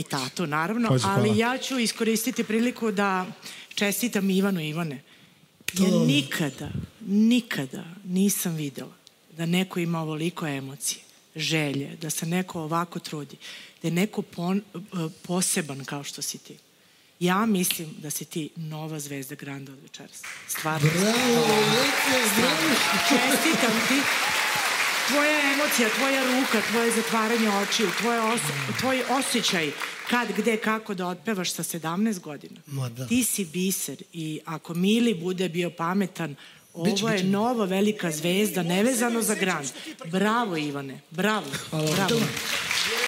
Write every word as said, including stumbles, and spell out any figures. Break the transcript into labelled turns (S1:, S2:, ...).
S1: tatu, naravno, ali ja ću iskoristiti priliku da čestitam Ivanu i Ivane. Ja nikada, nikada nisam videla da neko ima ovoliko emocije, želje, da se neko ovako trudi, da je neko poseban kao što si ti. Ja mislim da si ti nova zvezda Granda od večeras. Stvarno.
S2: Bravo, bravo.
S1: Čestitam ti. Tvoja emocija, tvoja ruka, tvoje zatvaranje očiju, tvoj osjećaj kad, gde, kako da otpevaš sa sedamnaest godina. Ti si biser i ako Mili bude bio pametan, ovo je nova velika zvezda, nevezano za Grand. Bravo, Ivane, bravo. Bravo.